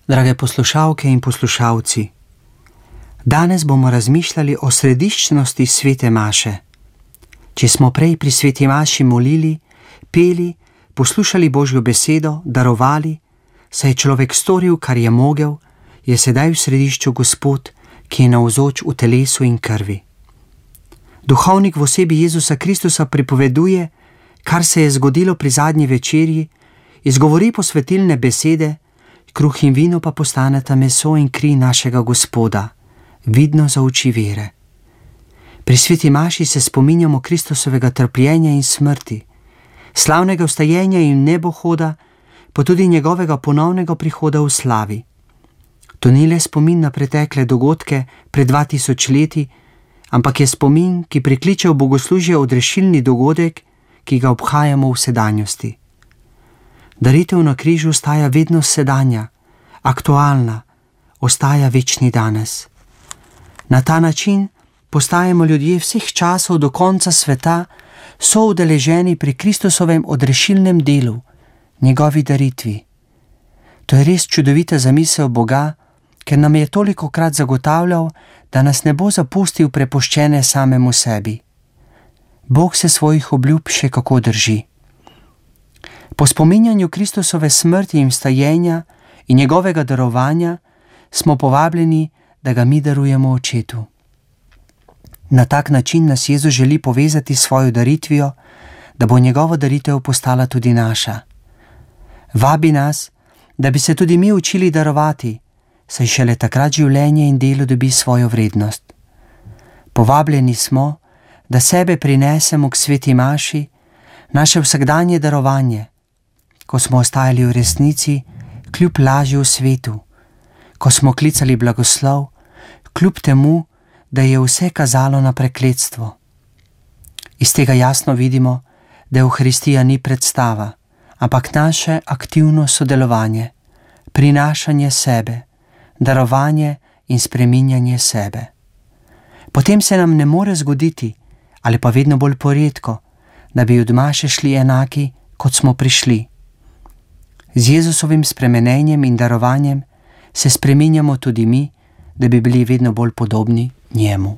Drage poslušalke in poslušalci, danes bomo razmišljali o središčnosti svete maše. Če smo prej pri sveti maši molili, peli, poslušali Božjo besedo, darovali, saj je človek storil, kar je mogel, je sedaj v središču Gospod, ki je navzoč v telesu in krvi. Duhovnik v osebi Jezusa Kristusa pripoveduje, kar se je zgodilo pri zadnji večerji, izgovori posvetilne besede, kruh in vino pa postaneta meso in kri našega Gospoda, vidno za oči vere. Pri sveti maši se spominjamo Kristusovega trpljenja in smrti, slavnega vstajenja in nebohoda, pa tudi njegovega ponovnega prihoda v slavi. To ni le spomin na pretekle dogodke pred 2000 leti, ampak je spomin, ki prikliče v bogoslužje odrešilni dogodek, ki ga obhajamo v sedanjosti. Daritev na križu ostaja vedno sedanja, aktualna, ostaja večni danes. Na ta način postajamo ljudje vseh časov do konca sveta soudeleženi pri Kristusovem odrešilnem delu, njegovi daritvi. To je res čudovita zamisel Boga, ker nam je tolikokrat zagotavljal, da nas ne bo zapustil prepuščene samemu sebi. Bog se svojih obljub še kako drži. Po spominjanju Kristusove smrti in vstajenja in njegovega darovanja smo povabljeni, da ga mi darujemo Očetu. Na tak način nas Jezus želi povezati s svojo daritvijo, da bo njegova daritev postala tudi naša. Vabi nas, da bi se tudi mi učili darovati, saj šele takrat življenje in delo dobi svojo vrednost. Povabljeni smo, da sebe prinesemo k sveti maši, naše vsakdanje darovanje, ko smo ostajali v resnici, kljub laži v svetu, ko smo klicali blagoslov, kljub temu, da je vse kazalo na prekletstvo. Iz tega jasno vidimo, da Evharistija ni predstava, ampak naše aktivno sodelovanje, prinašanje sebe, darovanje in spreminjanje sebe. Potem se nam ne more zgoditi, ali pa vedno bolj poredko, da bi od maše šli enaki, kot smo prišli. Z Jezusovim spremenenjem in darovanjem se spreminjamo tudi mi, da bi bili vedno bolj podobni njemu.